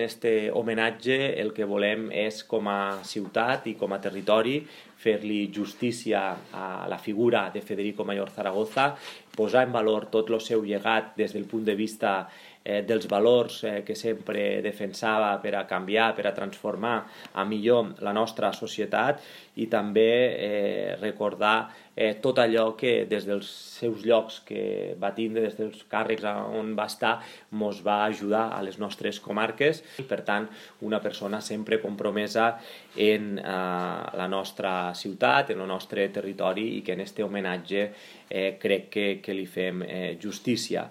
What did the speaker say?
En este homenatge el que volem és, com a ciutat i com a territori, fer-li justícia a la figura de Federico Mayor Zaragoza, posar en valor tot el seu llegat des del punt de vista dels valors que sempre defensava per a canviar, per a transformar a millor la nostra societat, i també recordar tot allò que des dels seus llocs que va tindre, des dels càrrecs on va estar, ens va ajudar a les nostres comarques. Per tant, una persona sempre compromesa en la nostra ciutat, en el nostre territori, i que en este homenatge crec que li fem justícia.